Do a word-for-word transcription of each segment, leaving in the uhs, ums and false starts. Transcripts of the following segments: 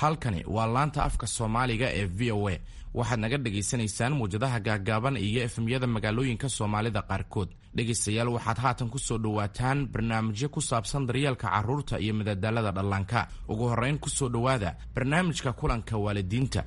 Halkani waa laanta afka Soomaaliga ee V O A. Waxaad naga dhagaysanaysaan muwjadaha gaaggaaban iyo F M-yada magaalooyinka Soomaalida qaarkood. Dhegaystayaal, waxaad haatan ku soo dhowaataan barnaamijyo ku saabsan daryeelka carruurta iyo madadaalada dhallaanka. Ugu horrayn, ku soo dhowaada barnaamijka kulanka waalidiinta.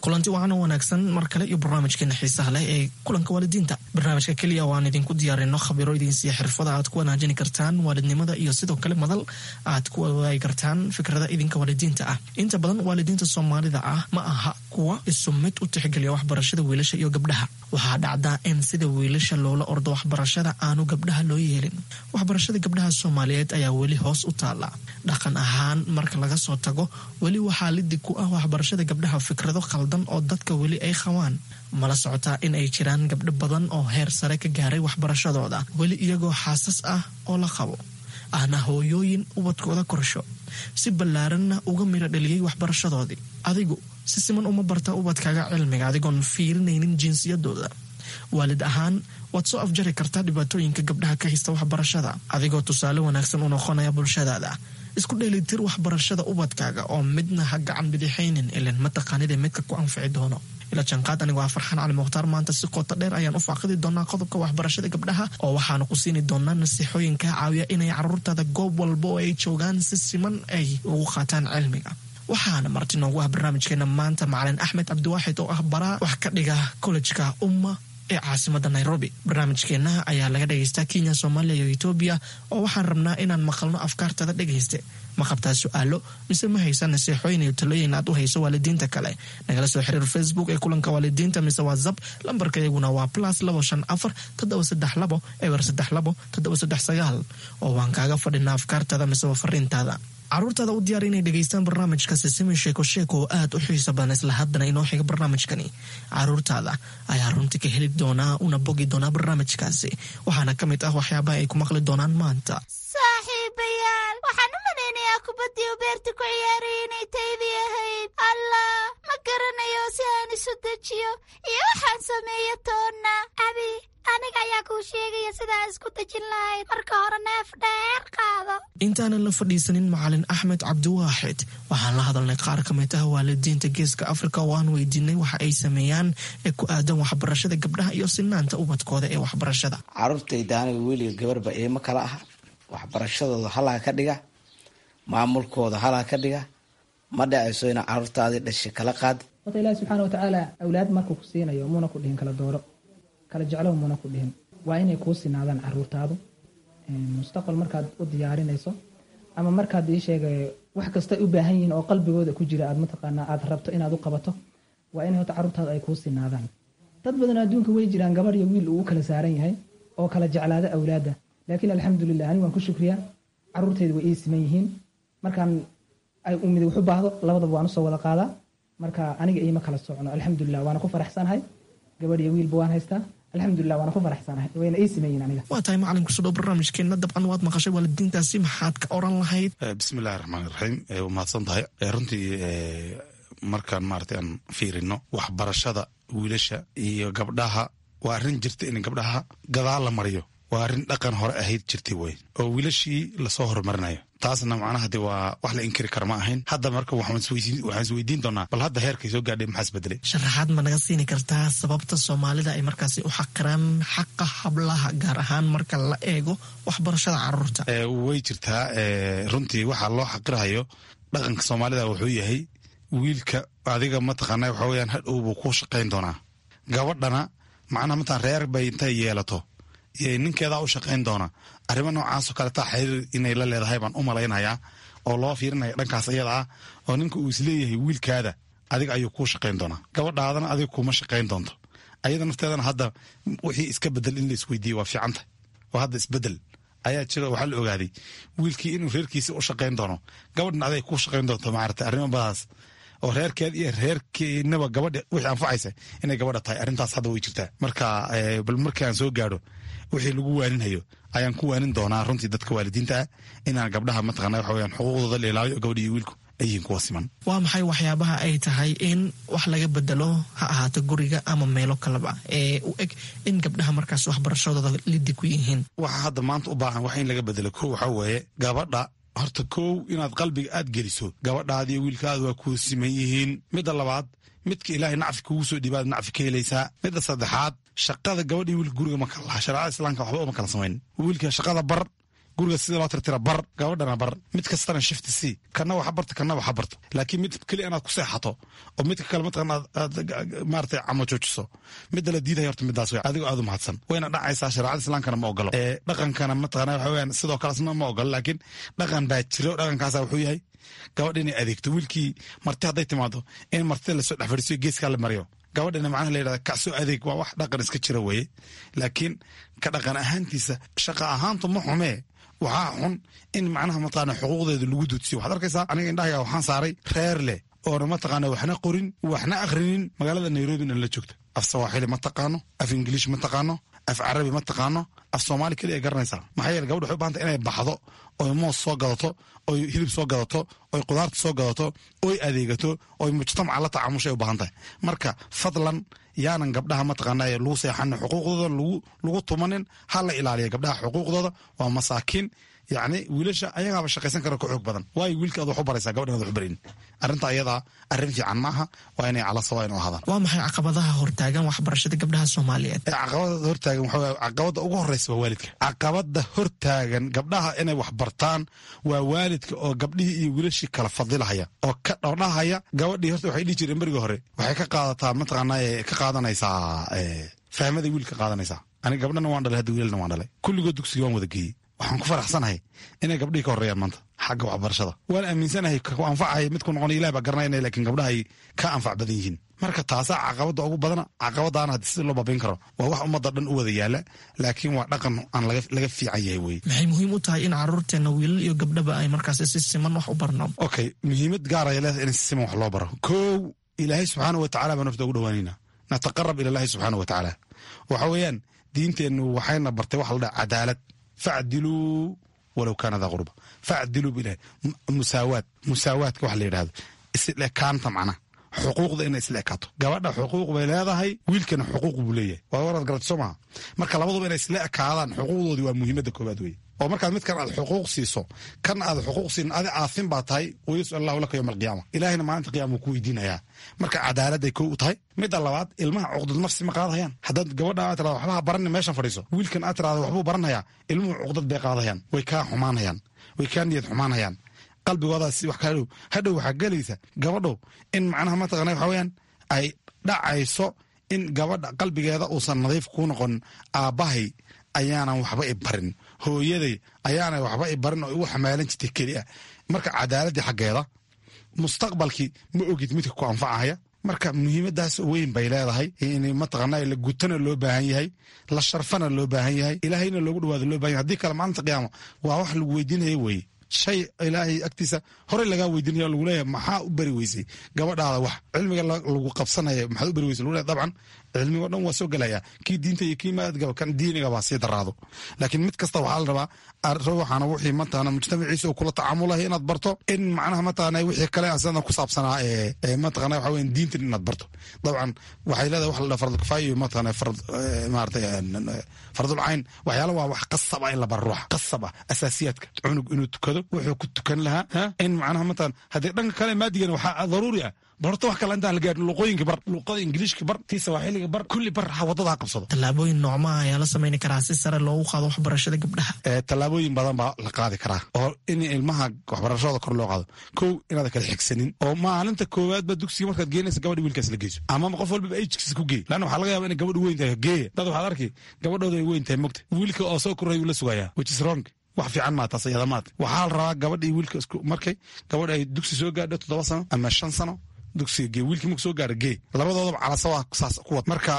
Kulanti wacan oo wanaagsan mar kale iyo barnaamijkeena xiisaha leh ee kulanka waalidiinta, barnaamijka keliya oo aan idinku diyaarino khabiro idinsiiya xirfada aad ku wanaajini kartaan waalidnimada iyo sidoo kale madal aad ku wadaagi kartaan fikrada idinka waalidiinta ah. Inta badan waalidiinta Soomaalida ah ma aha kuwa isu mid u tixgeliya waxbarashada wiilasha iyo gabdhaha. Waxaa dhacdaa in sida wiilasha loola ordo waxbarashada aanu gabdhaha loo yeelin. Waxbarashada gabdhaha Soomaaliyeed ayaa weli hoos u taala dhaqan ahaan marka laga soo tago. Weli waxaa lidig ku ah waxbarashada gabdhaha fikrado khaldan oo dadka weli ay qabaan. Mala socotaa in ay jiraan gabdho badan oo heer sare ka gaaray waxbarashadooda, weli iyagoo xaasas ah oo la qabo, ahna hooyooyin ubadkooda korsho, si ballaaranna uga miro dhaliyey waxbarashadoodii? Adigu si siman uma barta ubadkaaga cilmiga adigoon fiirinaynin jinsiyadooda? Waalid ahaan waad soo afjari kartaa dhibaatooyinka gabdhaha ka haysta waxbarashada adigoo tusaale wanaagsan u noqonaya bulshadaada. Isku dheelitir waxbarashada ubadkaaga oo midna ha gacan bidixaynin, ilan mataqaanida midka ku anfici doono. Ila janqaad. Anigu waa Farxaan Cali Mukhtaar. Maanta si qoto dheer ayaan u faaqidi doonaa qodobka waxbarashada gabdhaha, oo waxaanu ku siini doonaa nasiixooyin kaa caawiya inay caruurtaada goob walba oo ay joogaan si siman ay ugu qaataan cilmiga. Waxaana marti noogu ah barnaamijkeena maanta Macalin Axmed Cabdiwaaxid oo ah baraa wax ka dhiga kollejka Umma ee caasimada Nairobi. Barnaamijkeena ayaa laga dhegaystaa Kenya, Soomaaliya iyo Etoobiya, oo waxaan rabnaa inaan maqalno afkaartada. Dhegayste, ma qabtaa su-aalo mise ma haysa nasiixooyin iyo talooyin aad u hayso waalidiinta kale? Nagala soo xiriir Facebook ee kulanka waalidiinta mise WhatsApp. Lambarka iyaguna waa plus labo shan afar toddoba saddex labo eber saddex labo toddoba saddex sagaal, oo waan kaaga fadhinaa afkaartada mise fariintaada. Caruurtaada u diyaar inay dhegaystaan barnaamijka Sisimi Sheeko Sheeko oo aad u xiiso badan. Isla haddana inoo xiga barnaamijkani caruurtaada ayaa runtii ka heli doonaa una bogi doonaa barnaamijkaasi. Waxaana ka mid ah waxyaabaha ay ku maqli doonaan maanta: Saaxiibayaal, waxaan u malaynayaa kubaddii u beerta ku ciyaaraya inay taydii ahayd. Allah, ma garanayo si aan isu dejiyo iyo waxaan sameeyo toonna. Abi, aniga ayaa kuu sheegaya sidaa isku dejin lahayd. Marka hore neef dheer qaado. Intaanan la fadhiisanin Macalin Axmed Cabdiwaaxid, waxaan la hadalnay qaar ka mid ah waalidiinta Geeska Afrika oo aan weydiinay waxa ay sameeyaan ee ku aadan waxbarashada gabdhaha iyo sinaanta ubadkooda ee waxbarashada. Caruurtayda aniga wiiliga gabarba iima kala aha. Waxbarashadooda halaa ka dhiga, maamulkooda halaa ka dhiga. Ma dhacayso ina caruurtaadii dhashay kala qaad. Horta Ilaahi subxaana watacaala awlaad markuu ku siinayo muuna ku dhihin kala dooro, kala jeclow muuna ku dhihin. Waa inay kuu sinaadaan caruurtaadu. Mustaqbal markaad u diyaarinayso ama markaad ii sheegay wax kasta u baahan yihiin oo qalbigooda ku jira aad mataqaanaa aad rabto inaad u qabato, waa inay horta caruurtaadu ay kuu sinaadaan. Dad badan adduunka way jiraan gabarh iyo wiil uu u kala saaran yahay oo kala jeclaada awlaadda, laakiin alxamdulilah, anigu waan ku shukriyaa, caruurtayda way ii siman yihiin. Markaan ay umid wax u baahdo, labadaba waan usoo wada qaadaa. Marka aniga iima kala socno, alxamdulilah, waana ku faraxsanahay. Gabadh iyo wiilba waan haystaa, alxamdulilah, waana ku faraxsanahay, wayna ii siman yihiin aniga. Waa tahay macalin, kusoo dhow barnaamijkeena. Dabcan waad maqashay waalidiintaasi, maxaad ka oran lahayd? Bismillahi raxmaan iraxiim. Waa mahadsan tahay. Runtii markaan maaragtay aan fiirino waxbarashada wiilasha iyo gabdhaha, waa arrin jirta in gabdhaha gadaal la mariyo. Waa arrin dhaqan hore ahayd jirtay wey, oo wiilashii lasoo horumarinayo. Taasna macnaha de waa wax la inkiri kara ma ahayn. Hadda marka waxaan isweydiin doonaa, bal hadda heerkay soo gaadhay maxaa isbedelay? Sharaxaad ma naga siini kartaa sababta Soomaalida ay markaasi u xaqiraan xaqa hablaha, gaar ahaan marka la eego waxbarashada caruurta? Way jirtaa. Runtii waxaa loo xaqirahayo dhaqanka Soomaalida wuxuu yahay wiilka adiga mataqaana waxa weyaan hadhow buu ku shaqayn doonaa. Gabadhana macnaha mataan reer bay intay yeelato ninkeedaa u shaqayn doona. Arrimo noocaasoo kale taa xiriir inay la leedahay baan u malaynayaa, oo loo fiirinaya dhankaas iyada ah, oo ninka uu isleeyahay wiilkaada adiga ayuu kuu shaqayn doonaa, gabadhaadana adiga kuma shaqayn doonto. Ayada nafteedana hadda wixii iska bedel in la isweydiiye waa fiicanta, oo hadda isbedel ayaa jira. Waxaa la ogaaday wiilkii inuu reerkiisa u shaqayn doono, gabadhna aday kuu shaqayn doonto. Maarata arrimo badaas oo reerkeed iyo reerkeenaba gabadha wixii anfacaysa inay gabadha tahay, arrintaas hadda way jirtaa. Marka bal markii aan soo gaadho wixii lagu waaninhayo ayaan ku waanin doonaa runtii dadka waalidiinta ah inaan gabdhaha mataqana waxa weyaan xuquuqdooda la ilaaliyo, gabadha iyo wiilku ay yihiin kuwa siman. Waa maxay waxyaabaha ay tahay in wax laga bedelo, ha ahaato guriga ama meelo kaleba, ee u eg in gabdhaha markaas waxbarashadooda lidi ku yihiin? Waxa hadda maanta u baahan wax in laga bedelo kow waxaa weeye gabadha horta kow inaad qalbiga aad geliso gabadhaadi iyo wiilkaada waa kuu siman yihiin. Midda labaad, midka ilaahay nacfi kugu soo dhiibaad nacfi ka helaysaa. Midda saddexaad, shaqada gabadha iyo wiilka guriga ma kala laha. Shareecada islaamka waxba uma kala samayn. Wiilka shaqada bar, guriga sida loo tirtira bar, gabadhana bar. Mid kastana shift c, kana waxa barta, kana waxa barto. Laakiin mid keli inaad ku seexato oo midka kale mataqan aad maaragtay camo joojiso, midda la diidaya horta midaas wey. Adigoo aad u mahadsan wayna dhacaysaa. Shareecada islaamkana ma ogolo, ee dhaqankana mataqana waxa weeyaan sidoo kale asna ma ogolo. Laakiin dhaqan baa jiro, dhaqankaasa wuxuu yahay gabadha inay adeegto. Wiilkii marti hadday timaado in martida lasoo dhex fadhiisiyo, geeskaa la mariyo, gabadhina macnaha la yidhahda kacsoo adeeg. Waa wax dhaqan iska jira weeye. Laakiin ka dhaqan ahaantiisa shaqa ahaantu ma xumee, waxaa xun in macnaha mataqaana xuquuqdeeda lagu duudsiyo. Waxaad arkaysaa, aniga indhahayga waxaan saaray reer leh oona mataqaana waxna qorin waxna akhrinin, magaalada Nairobina la joogta. Af Sawaaxili ma taqaano, af Ingiliish ma taqaano, af Carabi ma taqaano, af Soomaali keliya ay garanaysaa. Maxaa yeele gabadha waxay u bahantay inay baxdo oy moos soo gadato, oy hilib soo gadato, oy qudaarta soo gadato, oy adeegato, oy mujtamaca la tacaamushay u baahan tahay. Marka fadlan yaanan gabdhaha mataqaana lagu seexanin, xuquuqdooda lagu lagu tumanin, ha la ilaaliya gabdhaha xuquuqdooda. Waa masaakiin. Yacni wiilasha ayagaaba shaqaysan kara, ka xoog badan. Waayo wiilka aad wax u baraysaa, gabadhan aad wax u barin? Arrinta ayadaa arrin fiican maaha. Waa inay cala sawa inu ahaadaan. Waa maxay caqabadaha hortaagan waxbarashada gabdhaha Soomaaliyeed? Ee caqabada hortaagan waxa weeye, caqabada ugu horeysa waa waalidka. Caqabada hortaagan gabdhaha inay wax bartaan waa waalidka oo gabdhihii iyo wiilashii kala fadilahaya oo ka dhordhahaya gabadhii. Horta waxay dhihi jireen berigii hore waxay ka qaadataa mataqaanaa ka qaadanaysaa fahmada wiilka qaadanaysaa. Aniga gabdhana waan dhalay, hadda wiilalna waan dhalay, kulligood dugsiga waan wada geeyey. Waxaan ku faraxsanahay inay gabdhihii ka horreeyaan maanta xagga waxbarashada. Waan aaminsanahay ku anfacaya midku noqon Ilaah baa garanayna, laakiin gabdhaha ay ka anfac badan yihiin. Marka taasaa caqabada ugu badana. Caqabadaana haddii sida loo baabin karo waa wax ummadda dhan u wada yaala, laakiin waa dhaqan aan laga laga fiican yahay weye. Maxay muhiim u tahay in caruurteena wiilal iyo gabdhaba ay markaasi si siman wax u barno? Okay, muhiimad gaar ay leedahay in si siman wax loo baro. Kow, Ilaahay subxaana wa tacala baan horta ugu dhawaanayna, nataqarab ila Allahi subxaana wa tacaala. Waxa weeyaan diinteennu waxayna bartay waxa la dhaha cadaalad. Facdiluu walow kaana daa qurba, facdiluu bilahi. Musaawaad, musaawaadka waxa la yidhahdo isla ekaanta, macnaha xuquuqda inay isla ekaato. Gabadha xuquuq bay leedahay, wiilkana xuquuq buu leeyahay. Waa waraad garata soo maha? Marka labaduba inay isla ekaadaan xuquuqdoodii waa muhiimadda koowaad weye. Oo markaad midkan aad xuquuq siiso, kan aad xuquuq siin, adi aafin baa tahay. Wayas'al Allahu laka yowma alqiyaama, Ilaahayna maalinta qiyaama wuu ku weydiinayaa. Marka cadaaladday kow u tahay. Midda labaad, ilmaha cuqdad nafsi ma qaadahayaan. Haddaad gabadha aad tirahdo waxba ha baranin, meeshan fadhiiso, wiilkan aad tirahdo waxbuu baranayaa, ilmuhu cuqdad bay qaadahayaan, way kaa xumaanayaan, way kaa niyad xumaanayaan, qalbigoodaas wax kaa dhow. Hadhow waxaa gelaysa gabadhow in macnaha mataqana waxa weeyaan ay dhacayso in gabadha qalbigeeda uusan nadiif kuu noqon. Aabbahay ayaanan waxba i barin, hooyaday ayaanay waxba i barin oo igu xamaalan jirtay keli ah. Marka cadaaladdii xaggeeda, mustaqbalkii ma ogid midka ku anfacahaya. Marka muhiimadaas weyn bay leedahay in mataqaana la gutana loo baahan yahay, la sharfana loo baahan yahay, Ilaahayna loogu dhawaado loo baahan yahay. Haddii kale maalinta qiyaama waa wax lagu weydiinaya weeye, shay Ilaahay agtiisa horey lagaa weydiinaya, lagu leeyahay maxaa u bari weysay gabadhaada wax cilmiga lagu qabsanaya, maxaad u bari weysay lagu leeyahay. Dabcan cilmiga o dhan waa soo gelaya, kii diinta iyo kii maadgaba, kan diiniga baa sii daraado. Laakiin mid kasta waxaa la rabaa ruuxana wixii mataqaana mujtamaciisa uu kula tacaamulahay inaad barto, in macnaha mataqaana wixii kale asana ku saabsanaa ee mataqaana waxa weeyaan diintan inaad barto. Dabcan waxay leedahay wax la dhaha farad kifaaya iyo mataqaana farad maaragtay fardul cayn. Waxyaala waa wax qasab ah in la baro ruuxa, qasab ah asaasiyaadka, cunug inuu tukado, wuxuu ku tukan lahaa, in macnaha mataqaana haddii dhanka kale maadigana waxaa daruuri ah bar horta wax kale intaan la gaarin luqooyinka bar, luqada Ingiliishka bar, tii Sawaaxiliga bar, kulli bar, ha waddada ha qabsado. Tallaabooyin noocmaha ayaa la samayni karaa si sare loogu qaado waxbarashada gabdhaha? Tallaabooyin badan baa la qaadi karaa oo in ilmaha waxbarashadooda kor loo qaado. Kow, inaad kala xigsanin oo maalinta koowaadba dugsiga markaad geenaysa gabadha wiilkaas la geyso, ama qof walbaba age-kiisa ku geey, laanna waxaa laga yaaba inay gabadhu weyn tahay. Geeya dad waxaad arki gabadhooda ay weyn tahay, mogta wiilka oo soo koray uu la sugayaa, which is wrong. Wax fiican maa taas iyada maata. Waxaa la rabaa gabadha iyo wiilka isku markay gabadha ay dugsi soo gaadho toddoba sano ama shan sano, dugsiga gee. Wiilkii marku soo gaaro gee, labadoodaba calasawa saas ku wad. Marka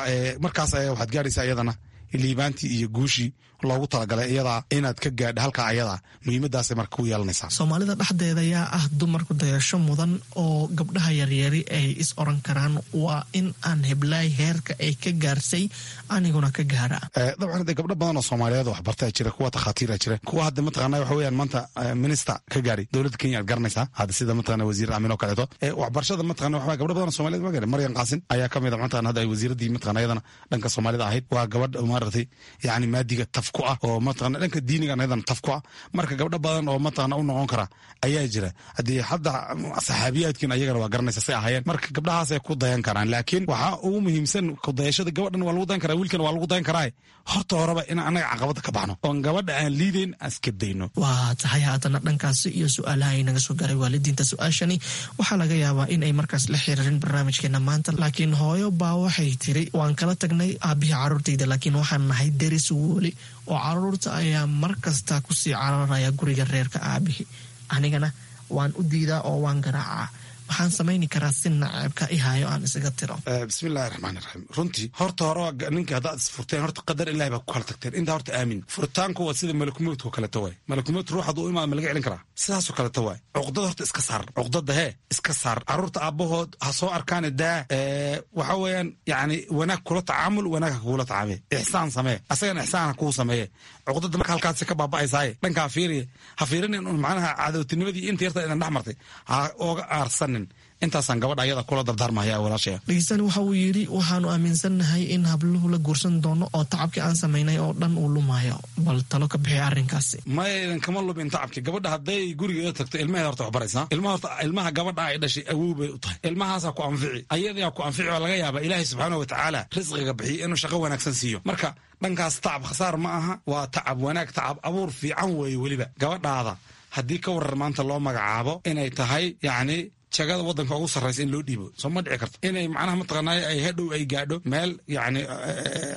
markaas ayaa waxaad gaaraysaa iyadana Liibaantii iyo guushii loogu talagalay iyadaa inaad ka gaadha halkaa ayadaa muhiimadaasay marka ku yeelanaysaa. Soomaalida dhexdeeda yaa ah dumarku dayasho mudan oo gabdhaha yaryari ay is oran karaan waa in aan heblaay heerka ay ka gaarsay aniguna ka gaara? Dabcan de gabdho badan oo soomaaliyeed oo waxbartaa jira, kuwa takhaatiira jira, kuwa hadda mataqaana waxa weeyaan maanta minister ka gaari dowladda Kenya aad garanaysaa hadda, sida mataqaana wasiir Aamin oo kaleeto. Waxbarashada mataqaana waxa gabdho badan oo soomaaliyeed ma gaari. Maryam Qaasin ayaa ka mid ah mataqaana hadda ay wasiiraddii mataqaana iyadana dhanka soomaalida ahayd. Waa gabadh maaragtay yacni maadiga taf ku ah oo mataqaana dhanka diiniga iyadana taf ku ah. Marka gabdho badan oo mataqaana u noqon kara ayaa jira. Haddii hadda saxaabiyaadkin ayagana waa garanaysa say ahaayeen. Marka gabdhahaasay ku dayan karaan, laakiin waxaa ugu muhiimsan kudayashada gabadhan waa lagu dayan karaa, wiilkan waa lagu dayan karaa. Horta horeba in annaga caqabada ka baxno oon gabadha aan liidayn aan iska dayno. Waa tahay. Haatana dhankaasi iyo su-aalaha ay naga soo gaaray waalidiinta. Su-aashani waxaa laga yaabaa in ay markaas la xiriirin barnaamijkeena maanta, laakiin hooyo baa waxay tiri: waan kala tagnay aabihii caruurtayda, laakiin waxaan nahay deris weli oo caruurta ayaa mar kasta kusii cararaya guriga reerka aabihii, anigana waan u diidaa oo waan garaacaa. Maxaan samayni karaa si naceebka i hayo aan isaga tiro? Bismillahi raxmaan iraxiim. Runtii horta hore ninka haddaad isfurteen, horta qadar ilahi baa ku kala tagteen. Intaa horta aamin. Furitaanku waa sida malakumowdka kaleto waay. Malakumowd ruux hadduu imaado ma laga celin karaa? Sidaasoo kaleto waay. Cuqdada horta iska saar, cuqdada hee iska saar. Carruurta aabbahood ha soo arkaane daa. Waxa weeyaan yacni wanaag kula tacaamul, wanaag ha kugula tacaamee, ixsaan samee, asagana ixsaan ha kuu sameeye. Cuqdada marka halkaasi ka baaba'aysaaye dhankaa fiiriye, ha fiirinin un macnaha cadowtinimadii inta yarta idan dhex martay ha ooga aarsanin. Intaasaan gabadha ayada kula dardaarmahaya walaashaya. Dhegeystani waxa uu yidhi: waxaanu aaminsannahay in habluhu la guursan doono oo tacabkii aan samaynay oo dhan uu lumayo. Bal talo ka bixi arrinkaasi. Maya, idan kama lumin tacabkii. Gabadha hadday gurigeeda tagto ilmaheeda horta wax baraysaa. Ilmaha horta, ilmaha gabadha ay dhashay awow bay u tahay. Ilmahaasaa ku anfici, ayadayaa ku anfici. Oo laga yaaba Ilaahay subxaana wa tacaala risqiga bixiyo inuu shaqo wanaagsan siiyo. Marka dhankaas tacab khasaar ma aha, waa tacab wanaag, tacab abuur fiican weeye. Weliba gabadhaada haddii ka warar maanta loo magacaabo inay tahay yacni jagada waddanka ugu sarraysa in loo dhiibo, soo ma dhici karto inay macnaha mataqaanay ay hadhow ay gaadho meel yacni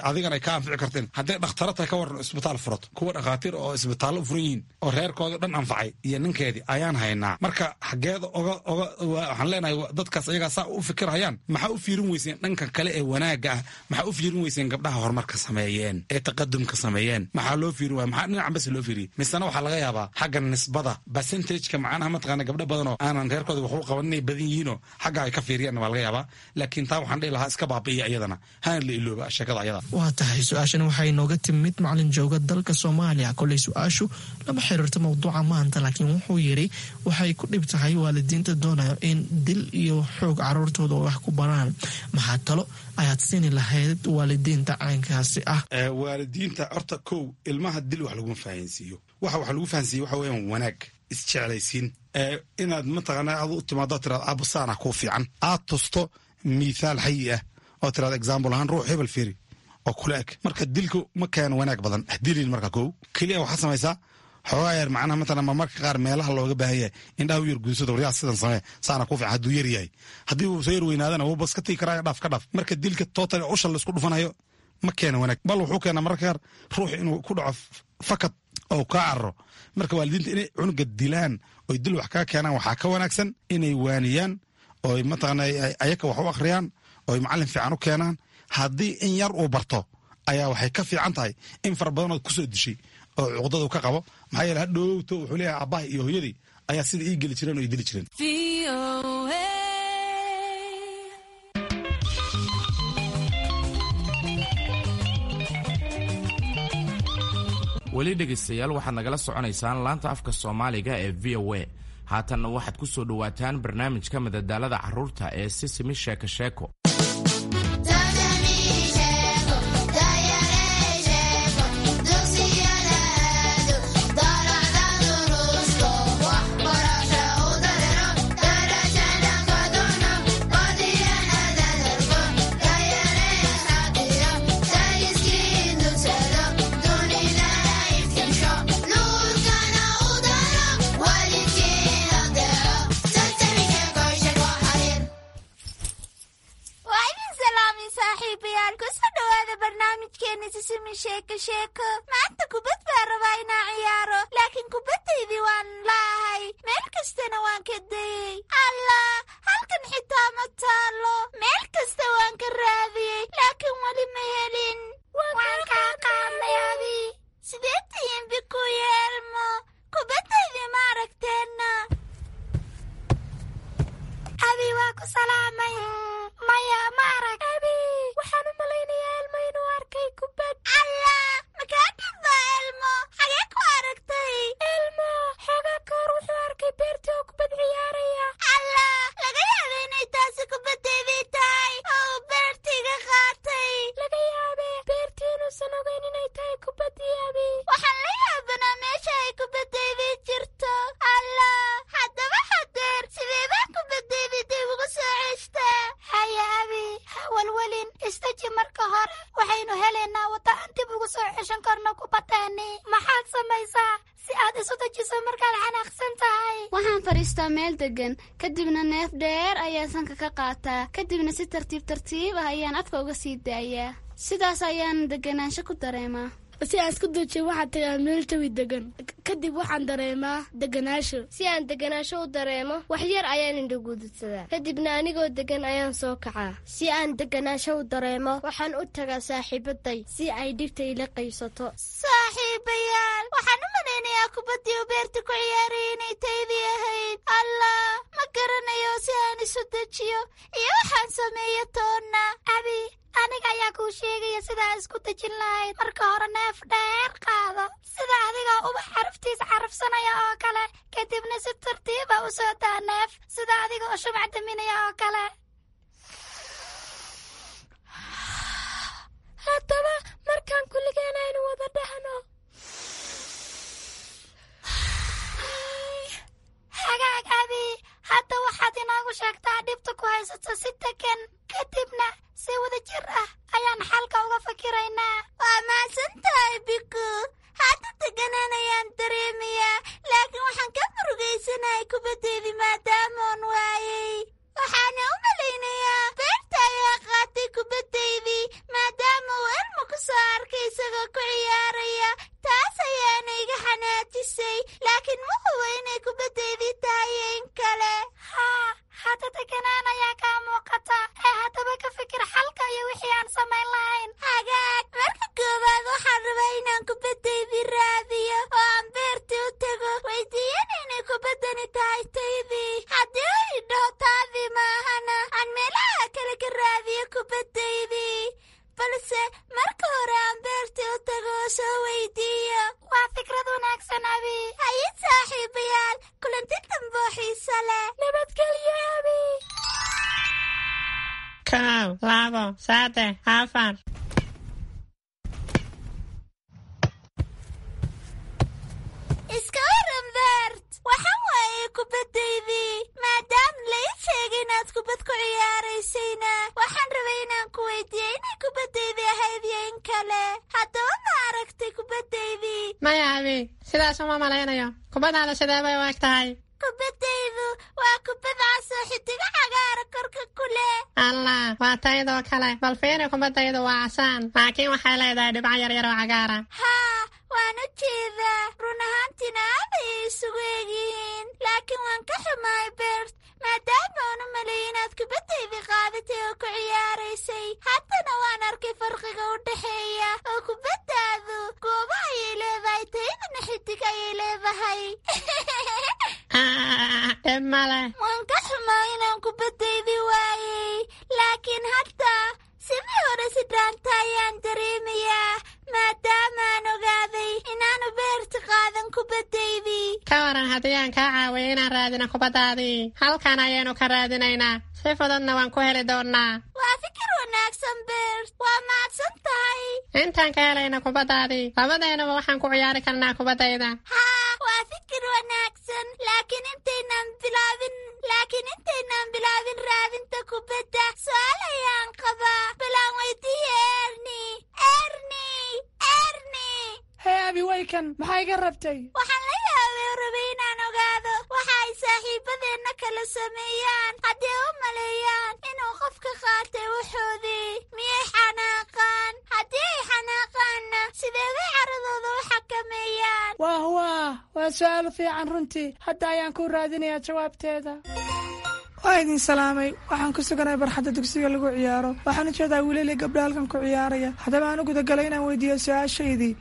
adigan ay ka anfici karteen? Hadday dhakhtaro tahay ka waran, isbitaal furato, kuwa dhakhaatiir oo isbitaallo u furan yihiin oo reerkooda dhan anfacay iyo ninkeedii ayaan haynaa. Marka xaggeeda oga oga waxaan leenahay dadkaas ayagaa saa u fikirhayaan, maxaa u fiirin weyseen dhanka kale ee wanaagga ah? Maxaa u fiirin weyseen gabdhaha horumarka sameeyeen ee taqadumka sameeyeen? Maxaa loo fiirin waaya? Maxaa dhinacan bas loo fiiriyey? Misena waxaa laga yaabaa xagga nisbada percentageka macnaha mataqaana gabdho badan oo aanan reerkooda wax u qaban inay badan yihiinoo xagga ay ka fiiriyaan waa laga yaabaa. Laakiin taa waxaan dhihi lahaa iska baabi'iya iyadana, hana la ilooba sheekada ayada. Waa tahay. Su-aashani waxay nooga timid macalin jooga dalka Soomaaliya. Koley su-aashu lama xiriirto mowduuca maanta, laakiin wuxuu yidhi waxay ku dhib tahay waalidiinta doonayo in dil iyo xoog caruurtooda wax ku baraan. Maxaa talo ayaad siini lahayd waalidiinta caynkaasi ah? Waalidiinta horta kow, ilmaha dil wax laguma fahansiiyo. Waxa wax lagu fahansiiyo waxa weeyaan wanaag, isjeclaysiin, inaad mataqaana ad u timaado tiraad aabbo saana kuu fiican, aad tusto mithaal xayi ah oo tiraad example ahaan ruux hebel fiiri oo kula eg. Marka dilku ma keeno wanaag badan, dilin. Marka kow keliya waxaad samaysaa xoogaa yar macnaha matalan marmarka qaar meelaha looga baahan yahay indhaha u yar guunsada, waryaa sidan samee, saana kuu fiican hadduu yar yahay. Haddii uu soo yar weynaadana wuu bas ka tigi karaa, dhaaf ka dhaaf. Marka dilka total usha laisku dhufanayo ma keeno wanaag, bal wuxuu keenaa mararka qaar ruux inuu ku dhaco fakad oo kaa cararo. Marka waalidiinta inay cunuga dilaan oy dil wax kaga keenaan waxaa ka wanaagsan inay waaniyaan oy mataqaana ayaka wax u akhriyaan oy macallin fiican u keenaan. Haddii in yar uu barto ayaa waxay ka fiican tahay in fara badanood kusoo dishay oo cuqdadu ka qabo. Maxaa yeele hadhowto wuxuu leeyahay aabbaha iyo hooyadii ayaa sida ii geli jireen oo ii dili jireen. Weli dhegaystayaal, waxaad nagala soconaysaan laanta afka Soomaaliga ee V O A. Haatanna waxaad ku soo dhowaataan barnaamijka madadaalada carruurta ee Sisimi Sheeko Sheeko. Maanta kubad baa rabaa inaa ciyaaro, laakiin kubaddaydii waan laahay, meel kastana waan ka dayey. Allah, halkan xitaa ma taalo. Meel kasta waan ka raadiyey, laakiin weli ma helin. Waan kaa inuusan ogeyn inay tahay kubaddii Abi. Waxaan la yaabanaa meesha ay kubaddaydii jirto. Allah, haddaba hadeer sidee baan kubaddaydii dib ugu soo ceshtaa? Haya Abi, ha walwalin, istaji marka hore. Waxaynu helaynaa waddo aan dib ugu soo ceshan karno kubaddeeni. Maxaad samaysaa si aad isu dejiso markaad xanaaqsan tahay? Waxaan fadhiistaa meel degan, kadibna neef dheer ayaan sanka ka qaataa, kadibna si tartiib tartiib ah ayaan afka uga sii daayaa. Sidaas ayaan deganaansho ku dareemaa. Si aan isku dejiyo waxaan tagaa meel jawi degan, kadib waxaan dareemaa deganaasho. Si aan deganaasho u dareemo, wax yar ayaan indhagududsadaa, kadibna anigoo degan ayaan soo kacaa. Si aan deganaasho u dareemo, waxaan u tagaa saaxiibaday si ay dhibta ila qaybsato. Saaxiibayaal, waxaan u malaynayaa kubaddii u beerta ku ciyaarayay inay taydii ahayd. Allah, ma garanayo si aan isu dejiyo iyo waxaan sameeyo toonna. Abi, aniga ayaa kuu sheegaya sidaa isku dejin lahayd. Marka hore neef dheer qaado, sida adigoo ubax xaraftiisa carafsanaya oo kale, kadibna si tartiiba u soo daa neef, sida adiga oo shumac daminaya oo kale. Haddaba markaan kulligeen aynu wada dhahno. Hagaag Abi, hadda waxaad inoogu sheegtaa dhibta ku haysato si degan, kadibna si wada jir ah ayaan xalka uga fakiraynaa. Waa mahadsan tahay Biku. Hadda deganaan ayaan dareemayaa, laakiin waxaan ka murugaysanahay kubaddeydii maadaamoon waayey. Waxaana u malaynayaa beerta ayaa qaatay kubaddaydii maadaama uu Elmo ku soo arkay isagoo ku ciyaaraya. Taas ayaana iga xanaajisay, laakiin ma hubo inay kubaddaydii tahay in kale. Haa, hadda deganaan ayaa kaa muuqata ee haddaba ka fikir xalka iyo wixii aan samayn lahayn. Hagaag, marka koowaad waxaan rabaa inaan kubaddaydii raadiyo oo aan beertii u tago, weydiiyana inay kubaddani tahay taydii. Haddii uu idhaho taadii maahana, aan meelaha kale ka raadiyo kubaddaydii. Balse marka hore aan beertii u tago oo soo weydiiyo. Waa fikrad wanaagsan Abi. Haye saaxiibayaal, kulanti dambe oo xiiso leh. Nabadgelyo Abi. Kow, labo, saddex, afar. Iska waran Bert, waxaan waayay kubaddaydii. Maadaama la ii sheegay inaad kubad ku ciyaaraysayna, waxaan rabay inaan ku weydiiyo inay kubaddaydii ahayd iyo in kale. Haddaba ma aragtay kubaddaydii? Maya Abi, sidaas uma malaynayo. Kubaddaada sidee bay u eg tahay? Kubaddaydu waa kubad cas oo xidigo cagaara korka ku leh. Allah, waa taydoo kale. Bal fiiri, kubaddaydu waa casaan, laakiin waxay leedahay dhibco yaryar oo cagaara. Haa, waan u jeedaa. Run ahaantiina aad ayay isugu egyihiin, laakiin waan ka xumahay Bert, maadaama aan u maleeyay inaad kubaddaydii qaadatay oo ku ciyaaraysay. Haddana waan arkay farqiga u dhexeeya, oo kubaddaadu goobo ayay leedahay, taydana xidig ayay leedahay. Dhib male. Waan ka xumaa inaan kubaddaydii waayey, laakiin hadda sidii hore si dhaanta ayaan dareemayaa, maadaamaan ogaaday inaanu beerta qaadan kubaddaydii. Ka waran haddii aan kaa caawiyo inaan raadino kubaddaadii? Halkan ayaynu ka raadinaynaa, si fududna waan ku heli doonnaa. Waa fikir wanaagsan Bert, waa mahadsan tahay. Intaan ka helayna kubaddaadii, labadeennuba waxaan ku ciyaari karnaa kubaddayda. Haa, waa fikir wanaagsan, laakiin intaynaan bilaabin laakiin intaynaan bilaabin raadinta kubadda, su'aal ayaan qabaa. Balaan weydiiye Erni. Erni, Erni. Hee Abi, waykan, maxaa iga rabtay? Waxaan la yaabay oo rabay inaan ogaado waxa ay saaxiibadeenna kala sameeyaan haddii u maleeyaan inuu qofka qaatay wuxoodii. Miyay xanaaqaan? Haddii ay xanaaqaanna, sidee bay caradooda u xakameeyaan? Waah waah, waa su'aal fiican runtii. Hadda ayaan ku raadinayaa jawaabteeda. Waa idin salaamay. Waxaan ku suganahay barxadda dugsiga lagu ciyaaro. Waxaan u jeedaa wiilal iyo gabdho halkan ku ciyaaraya. Haddaba aan u gudagalay inaan weydiiyo su-aashaydii.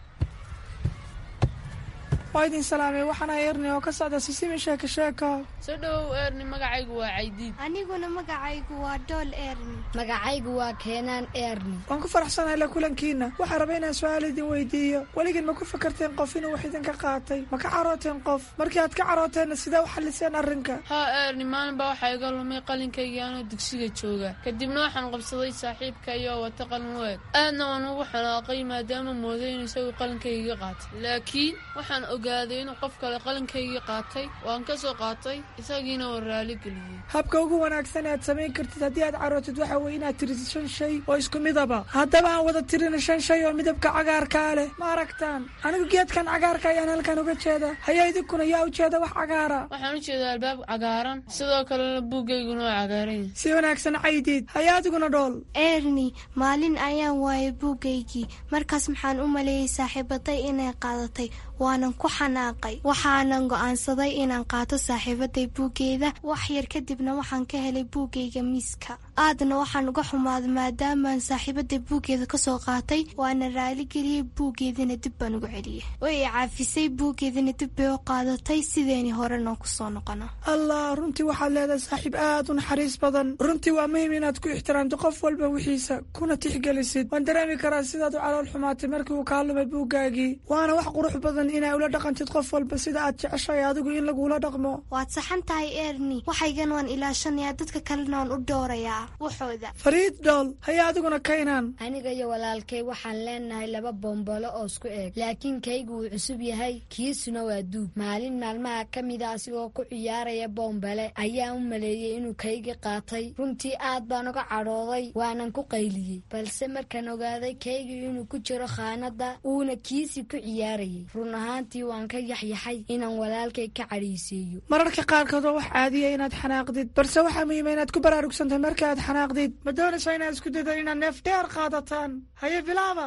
Waa idin salaamay, waxaan ahay Erni oo ka socda Sisimi Sheeko Sheeko. Soo dhowow Erni, magacaygu waa Caydiid. Aniguna magacaygu waa Dhool Erni. Magacaygu waa Keenaan Erni. Waan ku faraxsanahay la kulankiina. Waxaan rabay inaan su-aal idin weydiiyo. Weligiin ma ku fakarteen qof inuu wax idinka qaatay? Ma ka carooteen qof? Markii aad ka carooteenna sidee u xalliseen arrinka? Haa Erni, maalin baa waxaa iga lumay qalinkaygii anoo dugsiga jooga. Kadibna waxaan qabsaday saaxiibka iyoo wata qalin u eg. Aadna waan ugu xanaaqay maadaama mooday inuu isagu qalinkaygiga qaatay. Laakiin waxaan ogaaday inuu qof kale qalinkaygii qaatay. Waan ka soo qaatay, isagiina waan raali geliyey. Habka ugu wanaagsan ee aad samayn kartid haddii aad carootid waxa weeye inaad tirisid shan shay oo isku midaba. Haddaba aan wada tirina shan shay oo midabka cagaarkaa leh. Ma aragtaan? Anigu geedkan cagaarka ayaan halkan uga jeeda. Haya, idinkuna yaa u jeeda wax cagaara? Waxaan u jeedaa albaab cagaaran, sidoo kalena buuggayguna waa cagaaran yahay. Si wanaagsan Caydiid. Haya, adiguna Dhool. Erni, maalin ayaan waayay buuggaygii. Markaas maxaan u maleeyey saaxiibaday inay qaadatay, waanan ku xanaaqay. Waxaanan go'aansaday inaan qaato saaxiibaday buuggeeda. Wax yar kadibna waxaan ka helay buuggayga miiska. Aadna waxaan uga xumaaday maadaamaan saaxiibaday buuggeeda ka soo qaatay, waana raaligeliyey, buuggeedina dib baan ugu celiyey. Way i caafisay, buuggeedina dib bay u qaadatay, sideeni horena ku soo noqono. Allah, runtii waxaad leedahay saaxiib aad u naxariis badan. Runtii waa muhiim inaad ku ixtiraamto qof walba wixiisa kuna tixgelisid. Waan dareemi karaa sidaad u calool xumaatay markii uu kaa lumay buuggaagii. Waana wax qurux badan inaa ula dhaqantid qof walba sida aad jeceshahay adigu in lagula dhaqmo. Waad saxan tahay Erni, waxaygan waan ilaashanayaa, dadka kalena waan u dhowrayaa waxooda. Fariid Dhool, haya adiguna Kaynaan. Aniga iyo walaalkay waxaan leenahay laba bombolo oo isku eeg, laakiin kaygu wuu cusub yahay, kiisuna waa duug. Maalin maalmaha ka mida asigoo ku ciyaaraya bombale ayaan u maleeyey inuu kaygii qaatay. Runtii aad baan uga cadhooday, waanan ku qayliyey. Balse markaan ogaaday kaygii inuu ku jiro khaanadda uuna kiisii ku ciyaarayay, run ahaantii waan ka yaxyaxay inaan walaalkay ka cadhaysiiyo. Mararka qaarkood waa wax caadiya inaad xanaaqdid, balse waxaa muhiima inaad ku baraarugsantahay marka aad xanaaqdid. Ma doonaysaa inaad isku daydan inaad neef dheer qaadataan? Haye, bilaaba.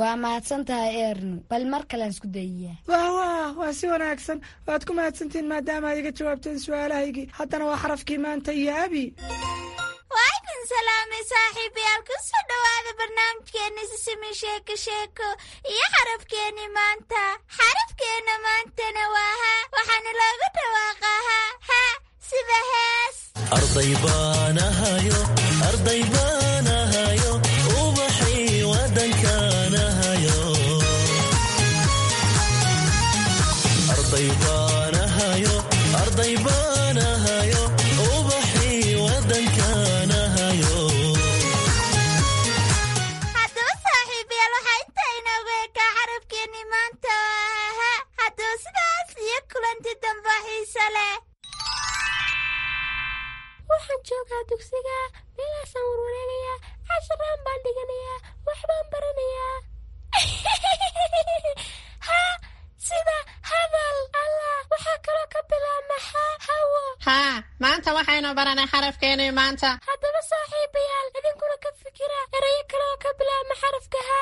Waa mahadsan tahay Erni, bal mar kalean isku dayiyaa. Wah wah, waa si wanaagsan. Waad ku mahadsantihiin maadaama aad iga jawaabteen su-aalahaygii. Haddana waa xarafkii maanta iyo Abi. Waa idin salaamay saaxiibayaal, ku soo dhowaada barnaamijkeena Sisimi Sheeko Sheeko iyo xarafkeeni maanta. Xarafkeena maantana waa ha, waxaana loogu dhawaaqaa ha ha sida hees. Arday baan ahayo, arday baan ahayo, ubaxii wadankaan ahayo. Arday baan ahayo, arday baan ahayo, ubaxii wadankaan ahayo. Haddaba saaxiibayaal, waxaa intaa inoogu ekaa xarafkeeni maanta oo ha. Haddaba sidaas iyo kulanti dambe xiise leh. Waxaan joogaa dugsiga, meelaasaan warwareegayaa, casharaan baan dhiganayaa, waxbaan baranayaa. Ha sida hadal. Allah, waxaa kaloo ka bilaabma ha hawo. Haa, maanta waxaynu baranay xarafkeenii maanta. Haddaba saaxiibayaal, idinkuna ka fikira erayo kale oo ka bilaabma xarafka ha.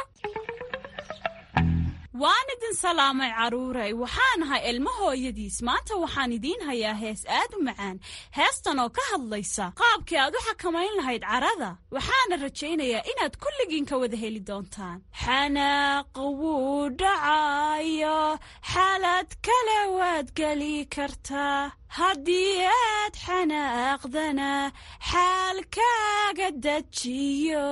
Waan idin salaamay carruuray, waxaan ahay ilmo hooyadiis. Maanta waxaan idiin hayaa hees aad u macaan, heestan oo ka hadlaysa qaabkii aad u xakamayn lahayd carada. Waxaana rajaynayaa inaad kulligiin ka wada heli doontaan. Xanaaq wuu dhacayo, xaalad kale waad geli kartaa. Haddii aad xanaaqdana xaalkaaga dejiyo,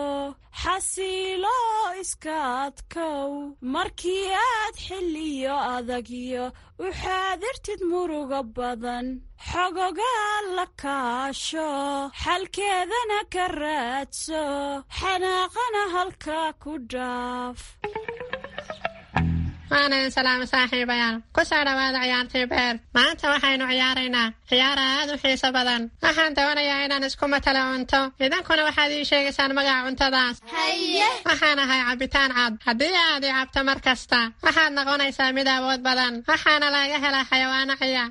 xasilo iska adkow. Markii aad xilliyo adagyo u xaadirtid murugo badan, xogogaa la kaasho, xalkeedana ka raadso, xanaaqana halkaa ku dhaaf. Waan idin salaamay saaxiibayaal, ku soo dhowaada ciyaartii beer. Maanta waxaynu ciyaaraynaa ciyaar aad u xiiso badan. Waxaan doonayaa inaan isku matalo cunto, idinkuna waxaad ii sheegaysaan magaca cuntadaas. Haye. Waxaan ahay cabitaan cad. Haddii aad i cabto mar kasta waxaad noqonaysaa mid awood badan, waxaana laga helaa xayawaano ciya.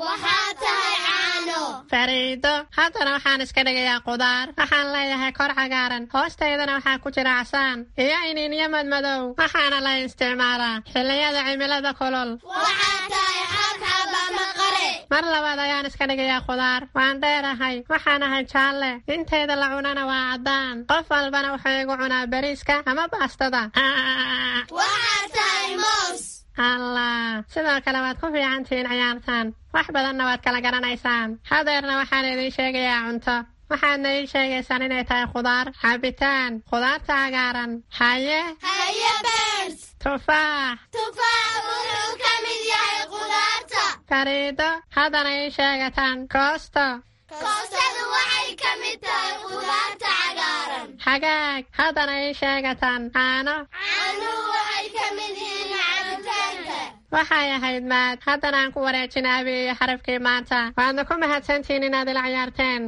Waxaa tahay caano. Fariido. Haddana waxaan iska dhigayaa qudaar. Waxaan leeyahay kor cagaaran, hoostaydana waxaa ku jira casaan iyo iniinyo madmadow. Waxaana la isticmaalaa xilliyada cimilada kulul. Waxaa tahay xabxab ama qare. Mar labaad ayaan iska dhigayaa khudaar. Waan dheerahay, waxaan ahay jaalle, intayda la cunana waa caddaan. Qof walbana wuxuu igu cunaa bariiska ama baastada. Waxaad tahay moos. Allah, sidoo kale waad ku fiican tihiin ciyaartan, wax badanna waad kala garanaysaan. Hadeerna waxaan idiin sheegayaa cunto, waxaadna ii sheegaysaan inay tahay khudaar, cabitaan, khudaarta cagaaran. Haye? Haye Bert. Tufaax. Tufaax wuxuu ka mid yahay khudaarta. Fariido, haddana ii sheegataan koosto. Koostadu waxay ka mid tahay khudaarta cagaaran. Hagaag, haddana ii sheegataan caano. Caanuhu waxay ka mid yihiin cabitaanka. Waxay ahayd maad. Haddana aan ku wareejin Abi iyo xarafkii maanta. Waadna ku mahadsantihiin inaad ila ciyaarteen.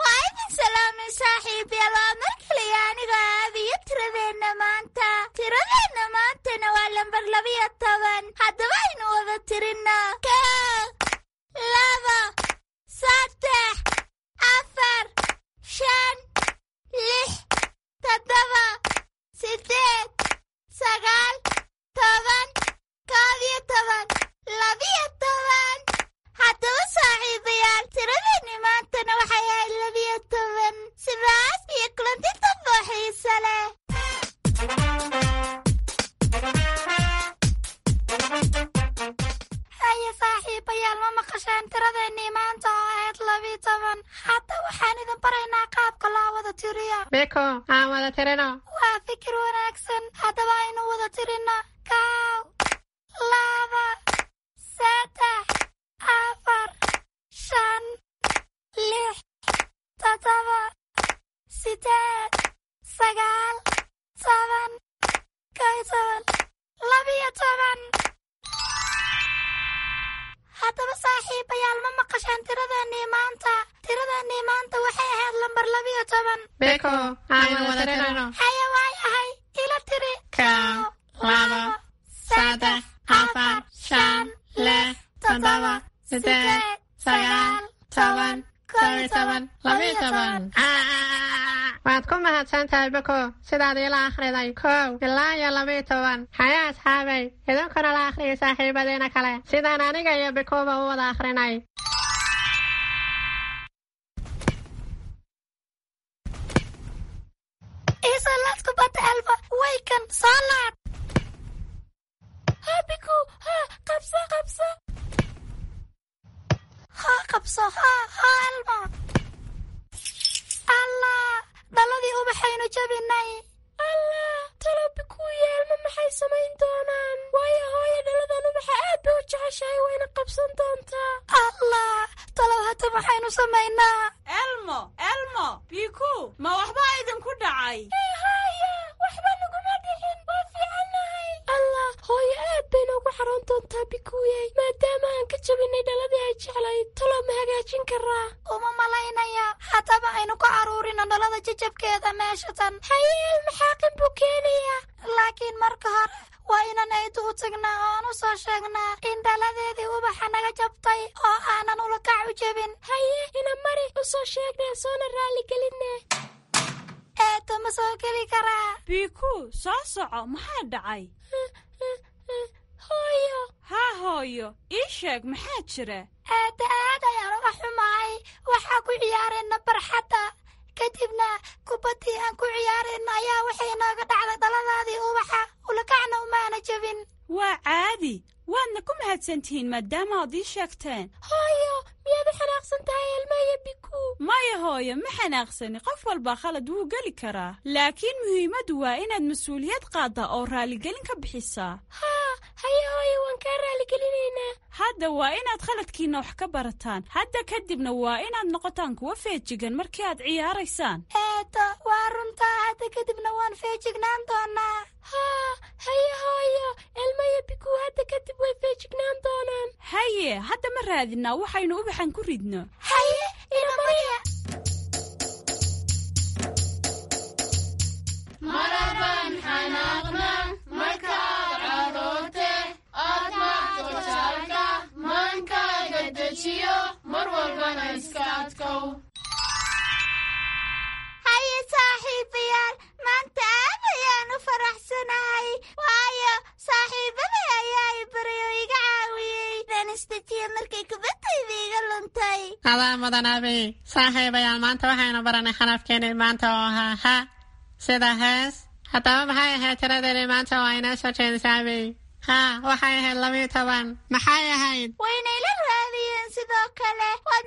Waa idin salaamay saaxiibayaal, waa mar kaliya aniga Aabiyo tiradeenna maanta. Tiradeenna maantana waa lambar labiyo toban. Haddaba aynu wada tirinno: kow, laba, saddex, afar, shan, lix, toddoba, sideed, sagaal, toban, koob iyo toban, labiyo toban. Haddaba saaxiibayaal, tiradeenni maantana waxay ahayd labiyo toban. Sidaas iyo kulanti dambe oo xiiso leh. Haye saaxiibayaal, ma maqasheen tiradeennii maanta oo ahayd labiyo toban? Hadda waxaan idin baraynaa qaabka loo wada tiriyo. Biko, aan wada tirino. Waa fikir wanaagsan. Haddaba aynu wada tirino: kow, laba, saddex, afar, shan, lix, toddoba, sideed, sagaal, toban, kow iyo toban, labiyo toban. Haddaba saaxiibayaal, ma maqasheen tiradeennii maanta? Tiradeennii maanta waxay ahayd lambar labiyo toban. Biko, aan wada tirino. Haye, waay ahay, ila tiri. Kow, laba, saddex, afar, shan, lix, toddoba, sideed, sagaal, toban, kow iyo toban, labiyo toban. Waad ku mahadsan tahay Biko sidaad iila akhriday kow ilaa iyo labiyo toban. Haya asxaabay, idinkuna la akhriyay saaxiibadiina kale sidaan aniga iyo Bikoba u wada akhrinay. Iisoo laad kubadda, Elmo. Waykan, soo laad. Ha Biku, ha, qabso, qabso. Ha, qabso, ha, ha Elmo. Allah, dhaladii ubaxaynu jabinay. Allah, talo Bikuuya Elmo maxay samayn doonaan? Waayo hooyo dhaladan ubaxa aad bay u jeceshahay, wayna qabsan doontaa. Allah, talow hadda maxaynu samaynaa? Elmo, Elmo, Biku, ma waxbaa idinku dhacay? Haya, waxba naguma dhicin, waa fiicannahay. Allah, hooyo aad bay noogu xaroon doontaa Bikuuyey, maadaama aan ka jabinay dhaladii ay jeclayd. Talow ma hagaajin karaa? Uma malaynaya. Haddaba aynu ku caruurino dhalada jajabkeeda meesha tan. Haye, Elmo xaaqin buu keenayaa. Laakiin marka hore waa inaan aydu u tagnaa oo aan u soo sheegnaa in dhaladeedii ubaxa naga jabtay oo aanan ulakac u jebin. Haye, ina mari, u soo sheegnaa soona raaligelinne. Eedo, ma soo geli karaa? Biku, soo soco, maxaa dhacay? Hooyo. Haa hooyo, ii sheeg maxaa jira? Eedda, aad ayaan uga xumahay. Waxaa ku ciyaarayna barxadda, kadibna kubaddii aan ku ciyaarayna ayaa waxay inooga dhacday dhaladaadii ubaxa, ulakacna umaana jebin. Waa caadi, waadna ku mahadsantihiin maadaama aad ii sheegteen. Hooyo, miyaad u xanaaqsan tahay Elmo iyo Biku? Maya hooyo, ma xanaaqsani. Qof walbaa khalad wuu geli karaa, laakiin muhiimaddu waa inaad mas-uuliyad qaaddaa oo raaligelin ka bixisaa. Haa, haye hooyo, waan kaa raaligelineynaa. Hadda waa inaad khaladkiinna wax ka barataan. Hadda kadibna waa inaad noqotaan kuwa feejigan markii aad ciyaaraysaan. Eedo, waa runtaa. Hadda kadibna waan feejignaan doonaa. Haa, haye hooyo, Elmo iyo Biku hadda kadib way feejignaan doonaan. Haye, hadda ma raadinaa waxaynu ubaxan ku ridno? Haye, ina mariya. Marabaan xanaaqna markaad caroote, aad maagto jaalka, maankaaga dejiyo, mar walbana iska adkow. Haye saaxiibayaal, maanta aad ayaan u faraxsanahay, waayo Adaa mudan, Abi. Saaxiibayaal, maanta waxaynu baranay xarafkeenii maanta oo ahaa ha, sida hees. Haddaba maxay ahayd tiradeeni maanta oo aynoo soo jeedisay, Abi? Ha, waxay ahayd labiyo toban. Maxay ahayd? Waynayla raadiyeen sidoo kale. Waad